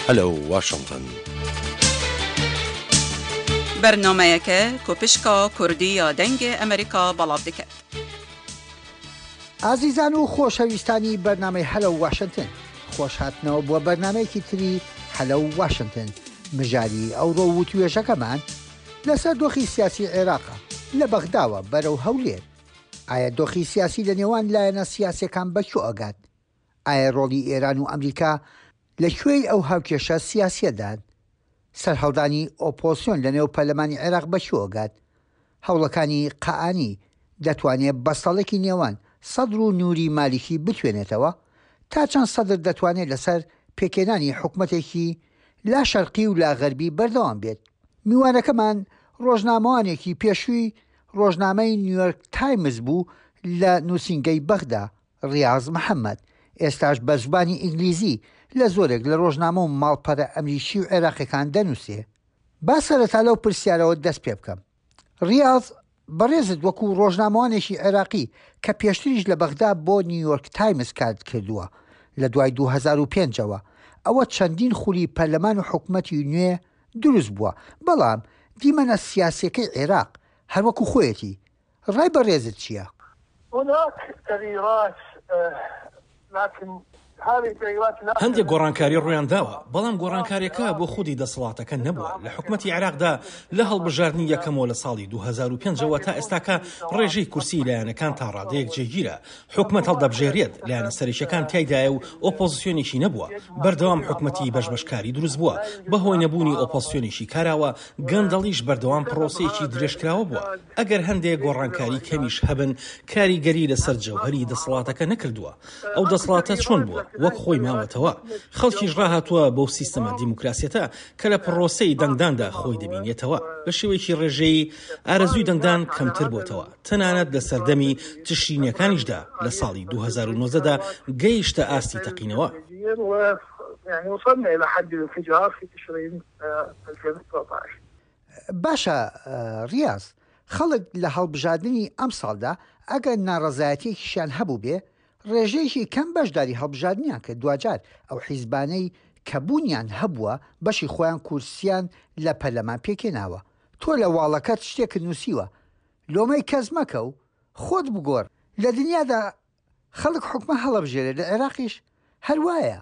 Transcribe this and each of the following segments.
Hello Washington. Bernameyeke ku pişka Kurdî ya Dengê Amerîka belav dike. ئازیزان و خۆشەویستانی بەرنامەی هەلەو واشنتن خۆشهاتنەوە بۆ بەرنامەیەکی تری هەلەو واشنتن مژاری ئەوڕۆ وتوێژەکەمان لەسەر دۆخی سیاسی عێراقە لە بەغداوە بەرەو هەولێر ئایا دۆخی سیاسی لە نێوان لایەنە سیاسیەکان بە کوێ ئەگات؟ ئایا ڕۆڵی ئێران و ئەمریکا لە کوێی ئەو هاوکێشە سیاسیەدان؟ سەرهەڵدانی ئۆپۆزسیۆن لە نێو پەرلەمانی عێراق بە کوێ ئەگات؟ هەوڵەکانی قائانی دەتوانێ بەستەڵەکی نێوان سەدر و نوری مالیکی بتوێنێتەوە؟ تا چەند سەدر دەتوانێ لەسەر پێکهێنانی حکومەتێکی لا شەرقی و لا غەربی بەردەوام بێت؟ میوانەکەمان ڕۆژنامەوانێکی پێشووی ڕۆژنامەی نیویۆرک تایمز بوو لە نووسینگەی بەغدا، ڕیاز محەمەد، ئێستاش بە زبانی ئینگلیزی لە زۆرێک لە ڕۆژنامە و ماڵپەرە ئەمریکی و عێراقیەکان دەنووسێ. با سەرەتا لەو پرسیارەوە دەست پێ بکەم. ڕیاز، بەڕێزت وەکوو ڕۆژنامەوانێکی عێراقی کە پێشتریش لە بەغدا بۆ نیویۆرک تایمز کارت کردووە لە دوای 2005 ەوە، ئەوە چەندین خولی پەرلەمان و حکومەتی نوێ دروست بووە، بەڵام دیمەنە سیاسیەکەی عێراق هەر وەکو خۆیەتی، ڕای بەڕێزت چیە؟ هناک تغیرات لکن هذه التغیرات لا هەندێک گۆڕانکاری ڕوویانداوە، بەڵام گۆڕانکارییەکە بۆ خودی دەسەڵاتەکە نەبووە. لە حکومەتی عێراقدا لە هەڵبژاردنی یەکەمەوە لە ساڵی 2005 ەوە تا ئێستاکە ڕێژەی کورسیی لایەنەکان تا ڕادەیەک جێگیرە. حکومەت هەڵدەبژێرێت، لایەنە سەرەکییەکان تیایدایە و ئۆپۆزسیۆنێکی نەبووە. بەردەوام حکومەتی بەشبەشکاری دروست بووە. بەهۆی نەبوونی ئۆپۆزسیۆنێکی کاراوە، گەندەڵیش بەردەوام پڕۆسەیەکی درێژکراوە بووە. ئەگەر هەندێ گۆڕانکاری کەمیش هەبن، کاریگەری لەسەر جەوهەری دەسەڵاتەکە نەکردووە. ئەو دەسەڵاتە چۆن بووە، وەک خۆی ماوەتەوە. خەڵکیش ڕاهاتووە بەو سیستەمە دیموکراسیەتە کە لە پڕۆسەی دەنگداندا خۆی دەبینێتەوە. بە شێوەیەکی ڕێژەیی ئارەزووی دەنگدان کەمتر بۆتەوە، تەنانەت لە سەردەمی تشرینیەکانیشدا لە ساڵی 2019 دا گەیشتە ئاستی تەقینەوە. باشە ڕیاز، خەڵک لە هەڵبژاردنی ئەمساڵدا ئەگەر ناڕەزایەتیەکیشیان هەبووبێ، ڕێژەیەکی کەم بەشداری هەڵبژاردنیان کرد، دواجار ئەو حیزبانەی کە بوونیان هەبووە بەشی خۆیان کورسیان لە پەرلەمان پێکهێناوە. تۆ لە واڵەکەت شتێکت نووسیوە، لۆمەی کەس مەکە و خۆت بگۆڕ. لە دنیادا خەڵک حوکمە هەڵەبژێرێ لە عێراقیش هەر وایە.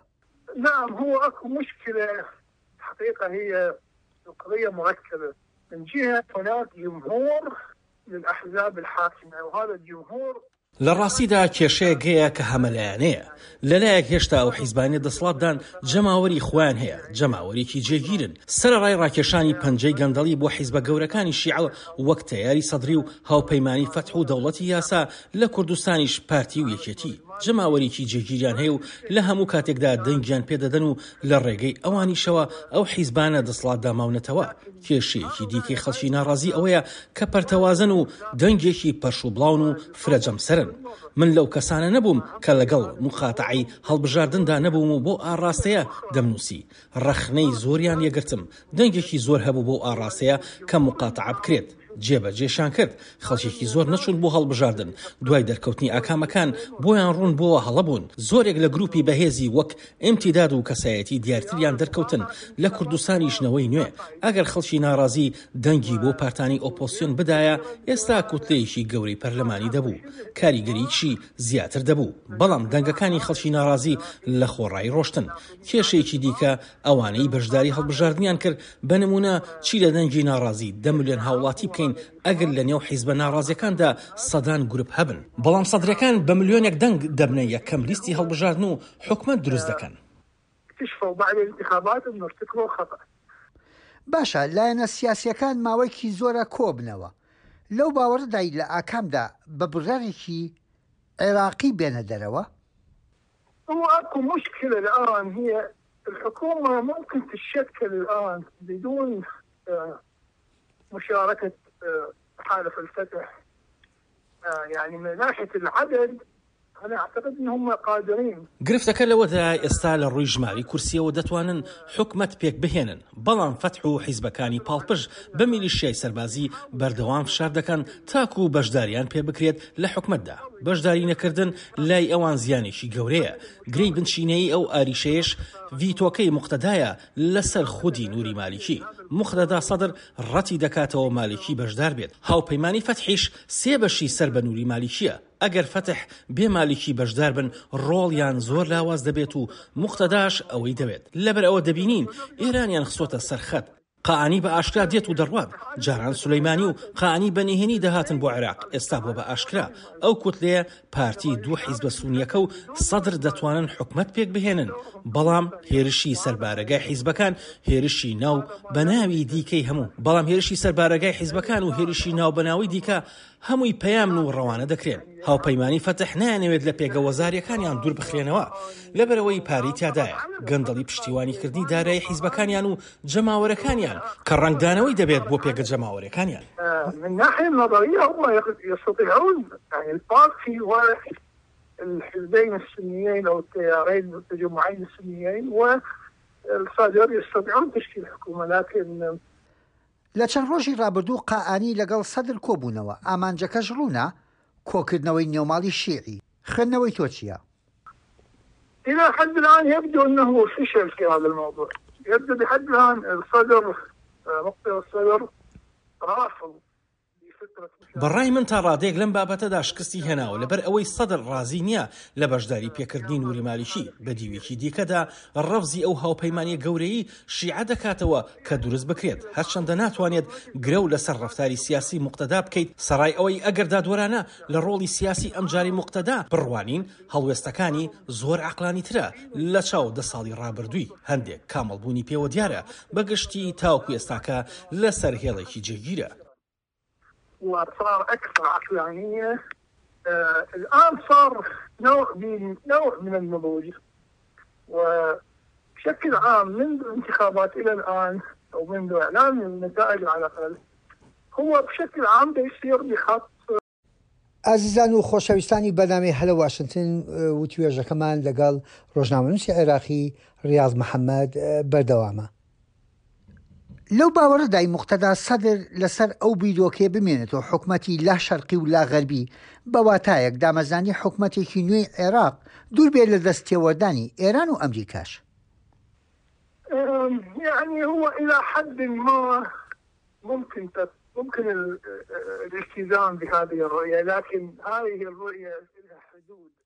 نعم هو اكو مشكلة حقيقة هي القضية مركبة من جهة هناك جمهور للأحزاب الحاكمة وهذا الجمهور. لە ڕاستیدا کێشەیەک هەیە کە هەمەلایەنەیە، لەلایەک هێشتا ئەو حیزبانەی دەسەڵاتدان جەماوەری خۆیان هەیە، جەماوەرێکی جێگیرن، سەرەڕای ڕاکێشانی پەنجەی گەندەڵی بۆ حیزبە گەورەکانی شیعە وەک تەیاری سەدری و هاوپەیمانی فەتح و دەوڵەتی یاسا، لە کوردستانیش پارتی و یەکێتی جەماوەرێکی جێگیریان هەیە و لە هەموو کاتێکدا دەنگیان پێدەدەن و لە ڕێگەی ئەوانیشەوە ئەو حیزبانە دەسەڵاتدا ماونەتەوە. کێشەیەکی دیکەی خەڵکی ناڕازی ئەوەیە کە پەرتەوازەن و دەنگێکی پەرشوبڵاون و فرە جەمسەرن. من لەو کەسانە نەبووم کە لەگەڵ موقاتەعەی هەڵبژاردندا نەبووم و بەو ئاڕاستەیە دەمنووسی. ڕەخنەی زۆریان لێگرتم، دەنگێکی زۆر هەبوو بەو ئاڕاستەیە کە موقاتەعە بکرێت. جێبەجێشیان کرد، خەڵکێکی زۆر نەچوون بۆ هەڵبژاردن، دوای دەرکەوتنی ئاکامەکان بۆیان ڕوون بۆوە هەڵە بوون، زۆرێک لە گروپی بەهێزی وەک ئیمتیداد و کەسایەتی دیارتریان دەرکەوتن، لە کوردستانیش نەوەی نوێ، ئەگەر خەڵکی ناڕازی دەنگی بۆ پارتانی ئۆپۆزسیۆن بدایە ئێستا کوتلەیەکی گەورەی پەرلەمانی دەبوو، کاریگەریی زیاتر دەبوو، بەڵام دەنگەکانی خەڵکی ناڕازی لە خۆڕایی ڕۆشتن، کێشەیەکی دیکە ئەوانەی بەشداری هەڵبژاردنیان کرد، بە نموونە چی لە دەنگی ناڕازی دە ملیۆن هاوڵاتی بکەین ئەگەر لە نێو حیزبە ناڕازیەکاندا سەدان گروپ هەبن، بەڵام سەدرەکان بە ملیۆنێک دەنگ دەبنە یەکەم لیستی هەڵبژاردن و حکومەت دروست دەکەن. باشە لایەنە سیاسیەکان ماوەیەکی زۆرە کۆبنەوە، لەو باوەڕەدای لە ئاکامدا بە بڕیارێکی عێراقی بێنە دەرەوە؟ هو اكو مشكلة الان هي الحكومة ممكن تتشكل الان بدون مشاركة تحالف الفتح يعني من ناحية العدد انا اعتقد انهم قادرين. گرفتەکە لەوەدایە ئێستا لە ڕووی ژمارەی کورسییەوە دەتوانن حکومەت پێکبهێنن، بەڵام فەتح و حیزبەکانی پاڵپشت بە میلیشیای سەربازی بەردەوام فشار دەکەن تاکو بەشداریان پێبکرێت لە حکومەتدا. بەشداری نەکردن لای ئەوان زیانێکی گەورەیە. گرێی بنچینەیی ئەو ئاریشەیەش ڤیتۆکەی موقتەدایە لەسەر خودی نوری مالیکی. موقتەدا سەدر ڕەتی دەکاتەوە مالیکی بەشدار بێت. هاوپەیمانی فەتحیش سێ بەشی سەر بە نوری مالیکییە. ئەگەر فەتح بێ مالیکی بەشدار بن ڕۆڵیان زۆر لاواز دەبێت و موقتەداش ئەوەی دەوێت. لەبەرئەوە دەبینین ئێرانیان خستۆتە سەر خەت. قائانی بە ئاشکرا دێت و دەڕوات، جاران سولەیمانی و قائانی بە نهێنی دەهاتن بۆ عێراق، ئێستا بووە بە ئاشکرا. ئەو کوتلەیە پارتی، دوو حیزبە سونییەکە و سەدر دەتوانن حکومەت پێکبهێنن، بەڵام هێرشی سەر بارەگای حیزبەکان هێرشی ناو بەناوی دیکەی هەموو بەڵام هێرشی سەر بارەگای حیزبەکان و هێرشی ناوبەناوی دیکە هەمووی پەیامن و ڕەوانە دەکرێن. هاوپەیمانی فەتح نایانەوێت لە پێگە وەزارییەکانیان دوور بخرێنەوە، لەبەرئەوەی پارەی تیادایە، گەندەڵی پشتیوانیکردنی دارایی حیزبەکانیان و جەماوەرەکانیان کە ڕەنگدانەوەی دەبێت بۆ پێگە جەماوەریەکانیان. من ناحية النظرية هم يستطيعون يعني البارتي والحزبين السنيين او التيارين التجمعين السنيين والصدر يستطيعون تشكيل حكومة لكن لە چەند ڕۆژی ڕابردوو قائانی لەگەڵ سەدر کۆبوونەوە، ئامانجەکەش ڕوونە، کۆکردنەوەی نێوماڵی شیعی. خوێندنەوەی تۆ چییە؟ الى حد الان يبدو انه فشل في هذا الموضوع يبدو لحد الان الصدر مقتدى الصدر رافض بە ڕای من تا ڕادەیەک لەم بابەتەدا شکستی هێناوە لەبەر ئەوەی سەدر ڕازی نییە لە بەشداری پێکردنی نوری مالیکی، بە دیوێکی دیکەدا ڕەفزی ئەو هاوپەیمانیە گەورەی شیعە دەکاتەوە کە دروست بکرێت، هەرچەندە ناتوانێت گرەو لەسەر ڕەفتاری سیاسی موقتەدا بکەیت، سەڕای ئەوەی ئەگەر دادوەرانە لە ڕۆڵی سیاسی ئەمجارەی موقتەدا بڕوانین هەڵوێستەکانی زۆر عەقلانیترە لە چاو دە ساڵی ڕابردووی، هەندێک کامڵبوونی پێوە دیارە، بە گشتی تاوەکو ئێستاکە لەسەر هێڵێکی جێگیرە. وصار اكثر عقلانية الان صار نوع من نوع من النضوج وبشكل عام منذ الانتخابات الى الان او منذ اعلان النتائج على الاقل هو بشكل عام بيسير بخط ئازیزان و خۆشەویستانی بەرنامەی هەلە واشنتن وتوێژەکەمان لەگەڵ ڕۆژنامەنووسی عێراقی ڕیاض محەممەد بەردەوامە. لەو باوەڕەدای موقتەدا سەدر لەسەر ئەو بیرۆکەیە بمێنێتەوە حکومەتی لا شەرقی و لا غەربی بە واتایەک دامەزراندنی حکومەتێکی نوێی عێراق دوور بێت لە دەست تێوەردانی ئێران و ئەمریکاش. یعنی هو الى حد ما ممكن ممكن الالتزام بهذه الرؤية لكن هذه الرؤية لها حدود.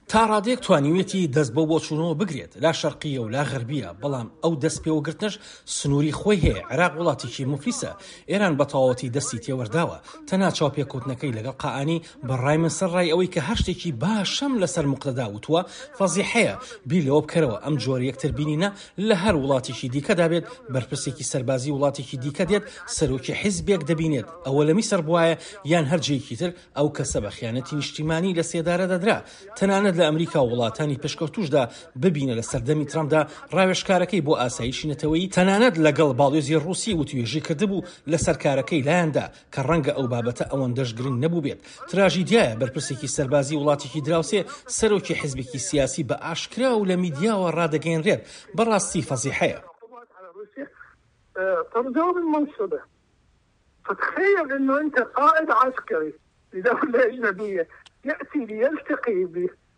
تا ڕادەیەک توانیویەتی دەست بەو بۆچوونەوە بگرێت، لا شەرقییە و لا غەربییە، بەڵام ئەو دەست پێوەگرتنەش سنووری خۆی هەیە، عێراق وڵاتێکی موفلیسە، ئێران بە تەواوەتی دەستی تێوەرداوە، تەنها چاوپێکەوتنەکەی لەگەڵ قائانی بە ڕای من سەرڕای ئەوەی کە هەر شتێکی باشم لەسەر موقتەدا وتووە فەزیحەیە، بیر لەوە بکەرەوە ئەم جۆرە یەکتر بینینە لە هەر وڵاتێکی دیکەدا بێت بەرپرسێکی سەربازی وڵاتێکی دیکە دێت سەرۆکی حیزبێک دەبینێت ئەوە لە میسر بوایە یان هەر جێیەکی تر ئەو کەسە بە خیانەتی نیشتیمانی لە سێدارە دەدرا تەنانەت لە ئەمریکا و وڵاتانی پێشکەوتوشدا ببینە لە سەردەمی ترەمپدا ڕاوێژکارەکەی بۆ ئاسایشی نەتەوەیی تەنانەت لەگەڵ باڵیۆزی ڕوسی وتوێژی کردبوو لەسەر کارەکەی لایاندا کە ڕەنگە ئەو بابەتە ئەوەندەش گرنگ نەبووبێت. تراژیدیایە بەرپرسێکی سەربازی وڵاتێکی دراوسێ سەرۆکی حزبێکی سیاسی بە ئاشکرا و لە میدیاوە ڕادەگەیەنرێت، بەڕاستی فەزیحەیە.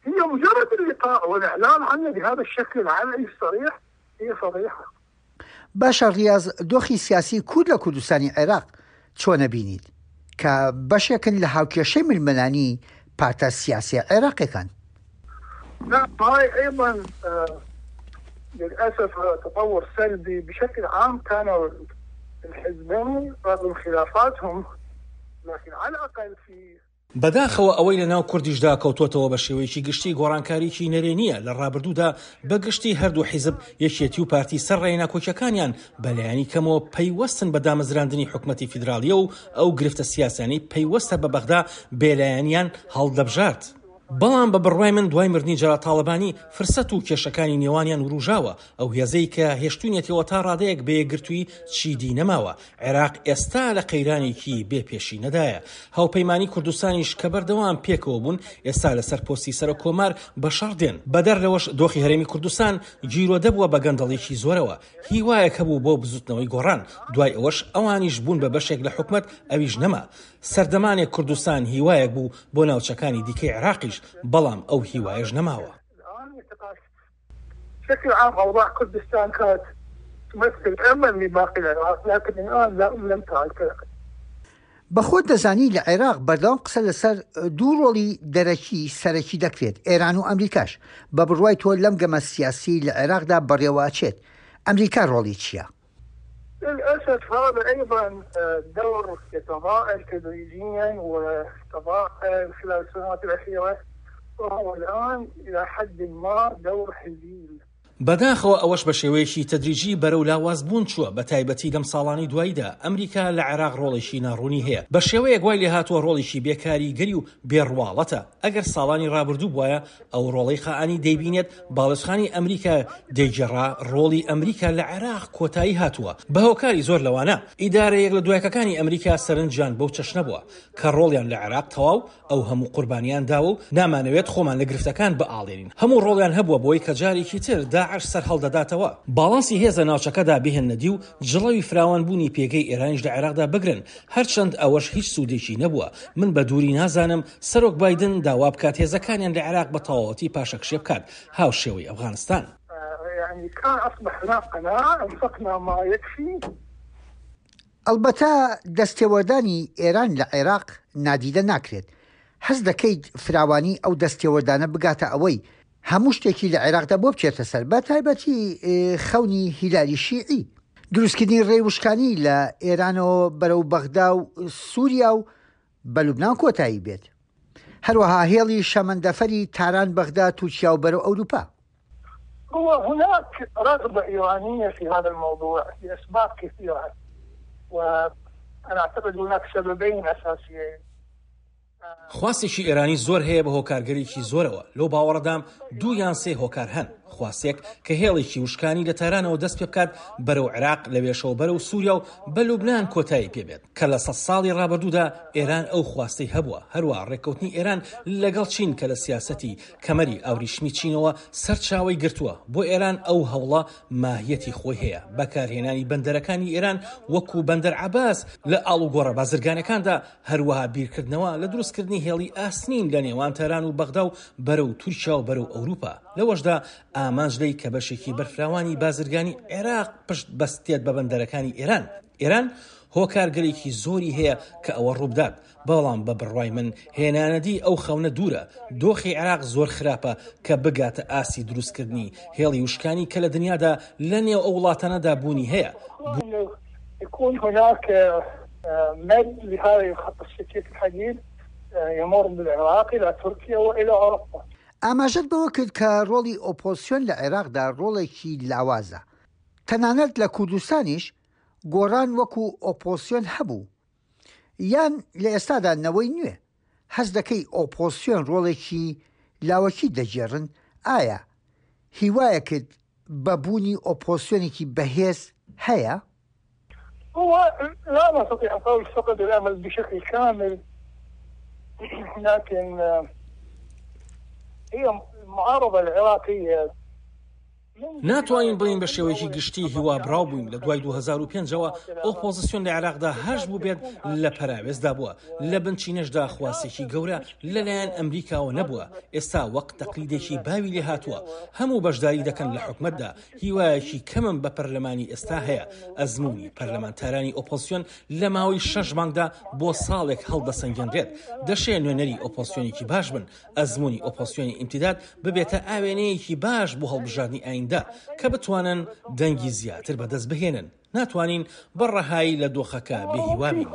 هي مجرد اللقاء والإعلان عنه بهذا الشكل العلني الصريح هي فضيحة. باشە ڕیاز دۆخی سیاسی کورد لە کوردستانی عێراق چۆن ئەبینیت کە بەشێکن لە هاوکێشەی ململانی پارتە سیاسیە عێراقیەکان؟ نعم هاي ايضا للاسف هذا تطور سلبي بشكل عام كانوا الحزبين رغم خلافاتهم لكن على الاقل في بەداخەوە ئەوەی لە ناو کوردیشدا کەوتۆتەوە بە شێوەیەکی گشتی گۆڕانکاریی نەرێنییە، لە ڕابردوودا بە گشتی هەردوو حیزب یەکێتی و پارتی سەر ڕێی ناکۆکیەکانیان بە لایەنی کەمەوە پەیوەستن بە دامەزراندنی حکومەتی فیدراڵییە و ئەو گرفتە سیاسیانەی پەیوەستە بە بەغدا بێلایەنیان هەڵدەبژارد. بەڵام بە بڕوای من دوای مردنی جەلال تاڵەبانی فرسەت و کێشەکانی نێوانیان وروژاوە، ئەو هێزەی کە هێشتوونیەتیەوە تا ڕادەیەک بە یەکگرتوویی چیدی نەماوە، عێراق ئێستا لە قەیرانێکی بێ پێشینەدایە، هاوپەیمانی کوردستانیش کە بەردەوام پێکەوە بوون ئێستا لەسەر پۆستی سەرۆک کۆمار بە شەڕ دێن، بەدەر لەوەش دۆخی هەرێمی کوردستان گیرۆدە بووە بە گەندەڵیەکی زۆرەوە، هیوایەک هەبوو بۆ بزوتنەوەی گۆڕان، دوای ئەوەش ئەوانیش بوون بە بەشێک لە حکومەت ئەویش نەما. سەردەمانێک کوردستان هیوایەک بوو بۆ ناوچەکانی دیکەی عێراقیش، بەڵام ئەو هیوایەش نەماوە. بە خۆت دەزانی لە عێراق بەردەوام قسە لەسەر دوو ڕۆڵی دەرەکی سەرەکی دەکرێت، ئێران و ئەمریکاش. بە بڕوای تۆ لەم گەمە سیاسیەی لە عێراقدا بەڕێوە ئەچێت، ئەمریکا ڕۆڵی چییە؟ للأسف هذا أيضا دور يتضاءل تدريجيا وتضاءل خلال السنوات الأخيرة وهو الآن إلى حد ما دور هزيل. بەداخەوە ئەوەش بە شێوەیەکی تەدریجی بەرەو لاوازبوون چووە، بە تایبەتی لەم ساڵانەی دواییدا، ئەمریکا لە عێراق ڕۆڵێکی ناڕوونی هەیە، بە شێوەیەک وای لێهاتووە ڕۆڵێکی بێ کاریگەری و بێ ڕواڵەتە، ئەگەر ساڵانی ڕابردوو بوایە ئەو ڕۆڵەی قائانی دەیبینێت باڵێزخانی ئەمریکا دەیگێڕا، ڕۆڵی ئەمریکا لە عێراق کۆتایی هاتووە بە هۆکاری زۆر لەوانە ئیدارە یەک لە دوایەکەکانی ئەمریکا سەرنجیان بەو چەشنە بووە کە ڕۆڵیان لە عێراق تەواو ئەو هەموو قوربانیان داوە و نامانەوێت خۆمان لە گرفتەکان بئاڵێنین هەموو ڕۆڵیان هەبووە بۆی کە جارێکی تر داعش سەرهەڵدەداتەوە باڵانسی هێز لە ناوچەکەدا بهێننە دی و جڵەوی فراوانبوونی پێگەی ئێرانیش لە عێراقدا بگرن هەرچەند ئەوەش هیچ سوودێکی نەبووە، من بە دووری نازانم سەرۆک بایدن داوا بکات هێزەکانیان لە عێراق بە تەواوەتی پاشەکشێ بکات هاوشێوەی ئەفغانستان. ئەڵبەتە دەستێوەردانی ئێران لە عێراق نادیدە ناکرێت، هەست دەکەیت فراوانی ئەو دەستێوەردانە بگاتە ئەوەی هەموو شتێکی لە عێراقدا بۆ بچێتە سەر، بە تایبەتی خەونی هیلالی شیعی. دروستکردنی ڕێی وشکانی لە ئێرانەوە بەرەو بەغدا و سووریا و بە لوبنان کۆتایی بێت. هەروەها هێڵی شەمەندەفەری تاران بەغدا تورکیا و بەرەو ئەوروپا. هو هناك رغبة إيرانية في هذا الموضوع لأسباب كثيرة وأنا أعتقد هناك سببين أساسيين. خواستێکی ئێرانی زۆر هەیە بە هۆکارگەلێکی زۆرەوە، لەو باوەڕەدام دوو یان سێ هۆکار هەن، خواستێک کە هێڵێکی وشکانی لە تارانەوە دەست پێبکات بەرەو عێراق، لەوێشەوە بەرەو سووریا و بە لوبنان کۆتایی پێبێت، کە لە سەد ساڵی ڕابردوودا ئێران ئەو خواستەی هەبووە، هەروەها ڕێککەوتنی ئێران لەگەڵ چین کە لە سیاسەتی کەمەری ئاوریشمی چینەوە سەرچاوەی گرتووە، بۆ ئێران ئەو هەوڵە ماهیەتی خۆی هەیە، بەکارهێنانی بەندەرەکانی ئێران وەکو بەندەر عەباس لە ئاڵوگۆڕە بازرگانیەکاندا، هەروەها بیرکردنەوە لە دروستکردنی هێڵی ئاسنین لە نێوان تاران و بەغدا و بەرەو تورکیا و بەرەو ئەوروپا، لەوەشدا ئامانج لێی کە بەشێکی بەرفراوانی بازرگانی عێراق پشت بەستێت بە بەندەرەکانی ئێران، ئێران هۆکارگەلێکی زۆری هەیە کە ئەوە ڕووبدات، بەڵام بە بڕوای من هێنانەدی ئەو خەونە دوورە، دۆخی عێراق زۆر خراپە کە بگاتە ئاستی دروستکردنی هێڵی وشکانی کە لە دنیادا لە نێو ئەو وڵاتانەدا بوونی هەیە. يكون هناك مد لهذه الخط السكك الحديد يمر بالعراق الى تركيا والى اوروبا. ئاماژەت بەوە کرد کە ڕۆڵی ئۆپۆزسیۆن لە عێراقدا ڕۆڵێکی لاوازە، تەنانەت لە کوردستانیش گۆڕان وەکو ئۆپۆزسیۆن هەبوو، یان لە ئێستادا نەوەی نوێ، هەست دەکەی ئۆپۆزسیۆن ڕۆڵێکی لاوەکی دەگێڕن، ئایا هیوایەکت بە بوونی ئۆپۆزسیۆنێکی بەهێز هەیە؟ هو لا نستطيع القول فقد الأمل بشكل كامل لكن هي المعارضة العراقية ناتوانین بڵێین بە شێوەیەکی گشتی هیوابڕاو بووین، لە دوای 2005 ەوە ئۆپۆزسیۆن لە عێراقدا هەش بووبێت لە پەراوێزدا بووە، لە بنچینەشدا خواستێکی گەورە لەلایەن ئەمریکاوە نەبووە، ئێستا وەک تەقلیدێکی باوی لێهاتووە هەموو بەشداری دەکەن لە حکومەتدا، هیوایەکی کەمم بە پەرلەمانی ئێستا هەیە، ئەزموونی پەرلەمانتارانی ئۆپۆزسیۆن لە ماوەی شەش مانگدا بۆ ساڵێک هەڵدەسەنگێنرێت، دەشێ نوێنەری ئۆپۆزسیۆنێکی باش بن، ئەزموونی ئۆپۆزسیۆنی ئیمتیداد ببێتە ئاوێنەیەکی باش بۆ هەڵبژاردنی ئایندە کە بتوانن دەنگی زیاتر بەدەست بهێنن، ناتوانین بە ڕەهایی لە دۆخەکە بێ هیوا بین.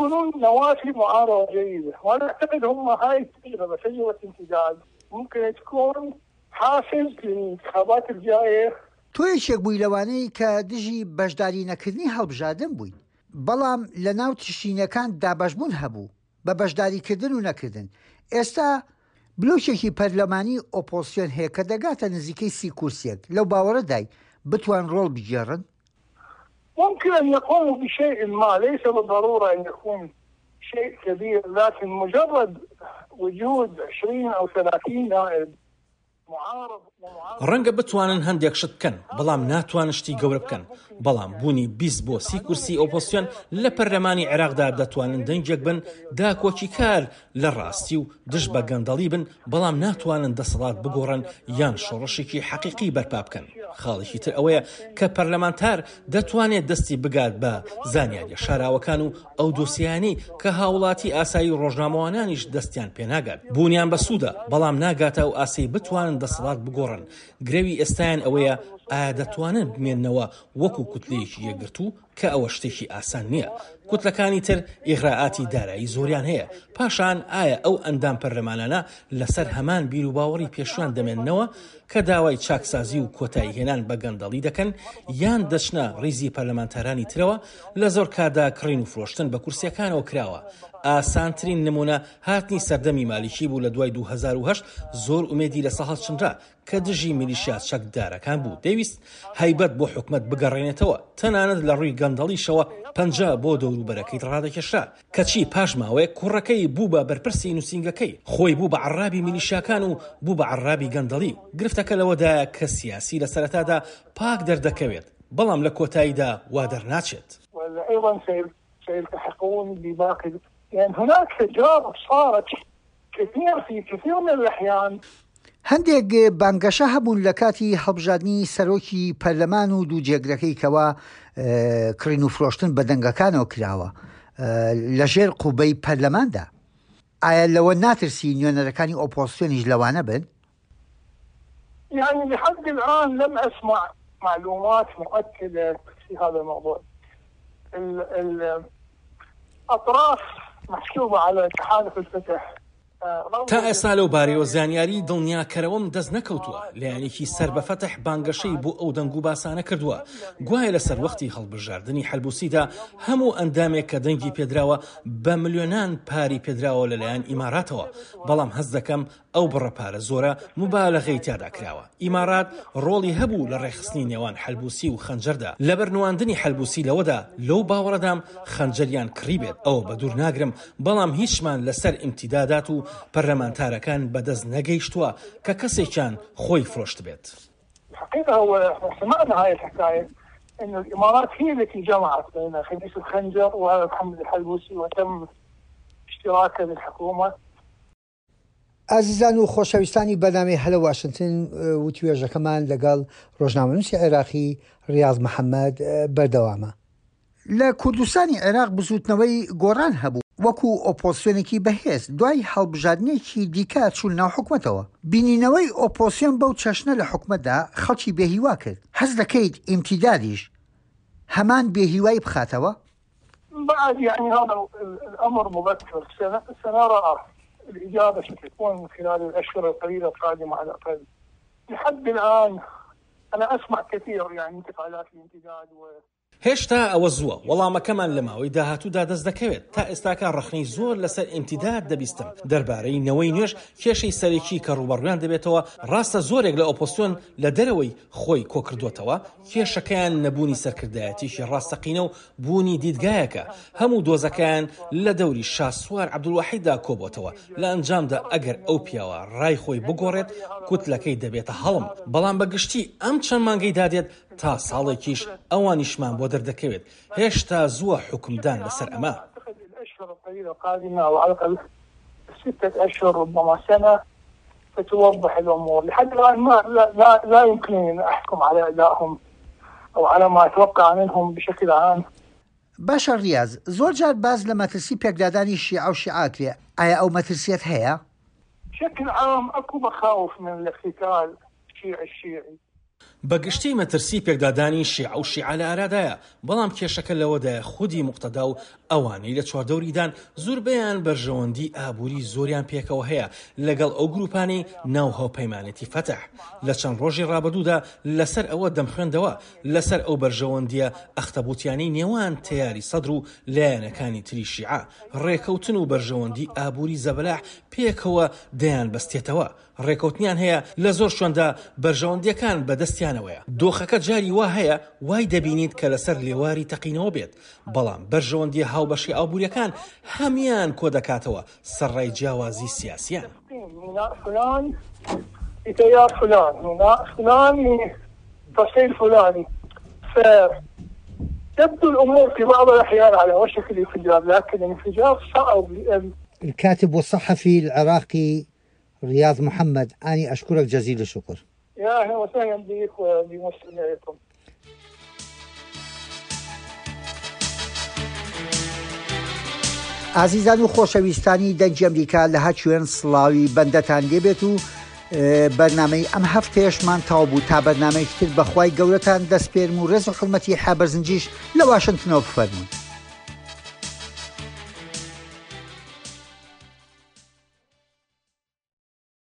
تۆ یەکێک بووی لەوانەی کە دژی بەشداری نەکردنی هەڵبژاردن بوویت، بەڵام لەناو تشرینیەکان دابەشبوون هەبوو بە بەشداریکردن و نەکردن، ئێستا بلۆکێکی پەرلەمانی ئۆپۆزسیۆن هەیە کە دەگاتە نزیکەی سی کورسیەک، لەو باوەڕەدای بتوان ڕۆڵ بگێڕن؟ ممکن ان يقوموا بشيء ما ليس بالضرورة ان يكون شيء كبير لكن مجرد وجود 20 او 30 نائب ڕەنگە بتوانن هەندێک شت بکەن، بەڵام ناتوانن شتی گەورە بکەن، بەڵام بوونی 20 بۆ 30 کورسی ئۆپۆزسیۆن لە پەرلەمانی عێراقدا دەتوانن دەنگێک بن داکۆکیکار لە ڕاستی و دژ بە گەندەڵی بن، بەڵام ناتوانن دەسەڵات بگۆڕن یان شۆڕشێکی حەقیقی بەرپا بکەن. خاڵێکی تر ئەوەیە کە پەرلەمانتار دەتوانێت دەستی بگات بە زانیاریە شاراوەکان و ئەو دۆسیانەی کە هاوڵاتی ئاسایی و ڕۆژنامەوانانیش دەستیان پێناگات. بوونیان بەسوودە، بەڵام ناگاتە ئەو ئاستەی بتوانن دەسەڵات بگۆڕن. گرەوی ئێستایان ئەوەیە ئایا دەتوانن بمێننەوە وەکو کوتلەیەکی یەکگرتوو؟ کە ئەوە شتێکی ئاسان نییە، کوتلەکانی تر ئیغرائاتی دارایی زۆریان هەیە، پاشان ئایا ئەو ئەندام پەرلەمانانە لەسەر هەمان بیروباوەڕی پێشویان دەمێننەوە کە داوای چاکسازی و کۆتاییهێنان بە گەندەڵی دەکەن یان دەچنە ڕیزی پەرلەمانتارانی ترەوە، لە زۆر کاتدا کڕین و فرۆشتن بە کورسیەکانەوە کراوە، ئاسانترین نمونە هاتنی سەردەمی مالیکی بوو لە دوای 2008 زۆر ئومێدی لەسە هەڵچنرا کە دژی میلیشیا چەکدارەکان بوو، دەیویست هەیبەت بۆ حکومەت بگەڕێنێتەوە، تەنانەت لە ڕووی گەندەڵیشەوە پەنجە بۆ دەوروبەرەکەی ڕادەکێشا، کەچی پاش ماوەیەک کوڕەکەی بوو بە بەرپرسی نووسینگەکەی، خۆی بوو بە عەڕابی میلیشیاکان و بوو بە عەڕابی گەندەڵی. گرفتەکە لەوەدایە کە سیاسی لە سەرەتادا پاک دەردەکەوێت، بەڵام لە کۆتاییدا وا دەرناچێت. وأيضا سيلتحقون بباقي لأن هناك تجارب صارت كثير في كثير من الأحيان. هەندێک بانگەشە هەبوون لە کاتی هەڵبژاردنی سەرۆکی پەرلەمان و دوو جێگرەکەی کەوا کڕین و فرۆشتن بە دەنگەکانەوە کراوە لە ژێر قوبەی پەرلەماندا. ئایا لەوە ناترسی نوێنەرەکانی ئۆپۆزسیۆنیش لەوانە بن؟ يعني لحد الآن لم أسمع معلومات مؤكدة في هذا الموضوع الأطراف محسوبة على تحالف الفتح تا ئێستا لەو بارەیەوە زانیاری دڵنیاکەرەوەم دەست نەکەوتووە، لایەنێکی سەر بە فەتح بانگەشەی بۆ ئەو دەنگوباسانە کردووە گوایە لە سەروەختی هەڵبژاردنی حەلبوسیدا هەموو ئەندامێک کە دەنگی پێدراوە بە ملیۆنان پاری پێدراوە لەلایەن ئیماراتەوە، بەڵام هەست دەکەم ئەو بڕە پارە زۆرە موبالەغەی تیادا کراوە. ئیمارات ڕۆڵی هەبوو لە ڕێکخستنی نێوان حەلبوسی و خەنجەردا، لەبەر نواندنی حەلبوسی لەوەدا لەو باوەڕەدام خەنجەریان کڕیبێت، ئەوە بەدوور ناگرم، بەڵام هیچمان لەسەر ئیمتیدادات و پەرلەمانتارەکان بەدەست نەگەیشتووە کە کەسێکیان خۆی فرۆشتبێت. الحقيقة هو احنا سمعنا هاي الحكاية انه الامارات هي التي جمعت بين خميس الخنجر ومحمد الحلبوسي وتم اشتراكه بالحكومة. ئازیزان و خۆشەویستانی بەرنامەی هەلە واشنتن وتوێژەکەمان لەگەڵ ڕۆژنامەنووسی عێراقی ڕیاض محەممەد بەردەوامە. لە کوردستانی عێراق بزووتنەوەی گۆڕان هەبوو وەکو ئۆپۆزسیۆنێکی بەهێز دوای هەڵبژاردنێکی دیکە چوون ناو حکومەتەوە. بینینەوەی ئۆپۆزسیۆن بەو چەشنە لە حکومەتدا خەڵکی بێهیوا کرد. هەست دەکەیت ئیمتیدادیش هەمان بێهیوایی بخاتەوە؟ بعد يعني هذا الأمر مبكر سنرى الإجابة ستكون خلال الأشهر القليلة القادمة على الأقل لحد الآن أنا أسمع كثير يعني انتقالات الامتداد و هێشتا ئەوە زووە، وەڵامەکەمان لە ماوەی داهاتوودا دەست دەکەوێت، تا ئێستاکە ڕەخنەی زۆر لەسەر ئیمتیداد دەبیستم، دەربارەی نەوەی نوێش کێشەی سەرەکی کە ڕووبەڕوویان دەبێتەوە، ڕاستە زۆرێک لە ئۆپۆزسیۆن لە دەرەوەی خۆی کۆکردۆتەوە، کێشەکەیان نەبوونی سەرکردایەتیەکی ڕاستەقینە و بوونی دیدگایەکە، هەموو دۆزەکەیان لە دەوری شاسوار عەبدولواحیددا کۆبۆتەوە، لە ئەنجامدا ئەگەر ئەو پیاوە ڕای خۆی بگۆڕێت کوتلەکەی دەبێتە هەڵم، بەڵام بە گشتی ئەم چەند مانگەی دادێت تا ساڵێکیش ئەوانیشمان بۆ دەردەکەوێت، هێشتا زووە حوکمدان لەسەر ئەمە. ستوضح الأمور لحد الآن ما لا, لا, لا يمكنني أن أحكم على أدائهم أو على ما أتوقع منهم بشكل عام. باشە ڕیاز، زۆر جار باس لە مەترسی پێکدادانی شیعە و شیعە ئەکرێ، ئایا ئەو مەترسیەت هەیە؟ بشكل عام اكو مخاوف من الاقتتال الشيعي الشيعي. بە گشتی مەترسی پێکدادانی شیعە و شیعە لە ئارادایە، بەڵام کێشەکە لەوەدایە خودی موقتەدا و ئەوانەی لە چواردەوریدان زوربەیان بەرژەوەندی ئابوری زۆریان پێکەوە هەیە لەگەڵ ئەو گروپانەی ناو هاوپەیمانێتی فەتح. لە چەند ڕۆژی ڕابردوودا لەسەر ئەوە دەمخوێندەوە لەسەر ئەو بەرژەوەندیە ئەختەبوتیانەی نێوان تەیاری سەدر و لایەنەکانی تری شیعە، ڕێکەوتن و بەرژەوەندی ئابوری زەبەلاح پێکەوە دەیانبەستێتەوە، ڕێکەوتنیان هەیە، لە زۆر شوێندا بەرژەوەندییەکان بە دەستیانەوەیە. دۆخەکە جاری وا هەیە وای دەبینیت کە لەسەر لێواری تەقینەوە بێت، بەڵام بەرژەوەندییە هاوبەشە ئابوورییەکان هەموویان کۆدەکاتەوە سەرڕای جیاوازی سیاسییان. الكاتب والصحفي العراقي ریاض محمد اني اشكرك جزيل الشكر. يا اهلا وسهلا بك وبمستمعيكم. ئازیزان و خۆشەویستانی دەنگی ئەمریکا لە هەر کوێن سڵاوی بەندەتان لێبێت و بەرنامەی ئەم هەفتەیەشمان تەواو بوو تا بەرنامەیەکی تر بەخوای گەورەتان دەسپێرم و ڕێز و حورمەتی حەبەرزنجیش لە واشنتنەوە بفەرموون.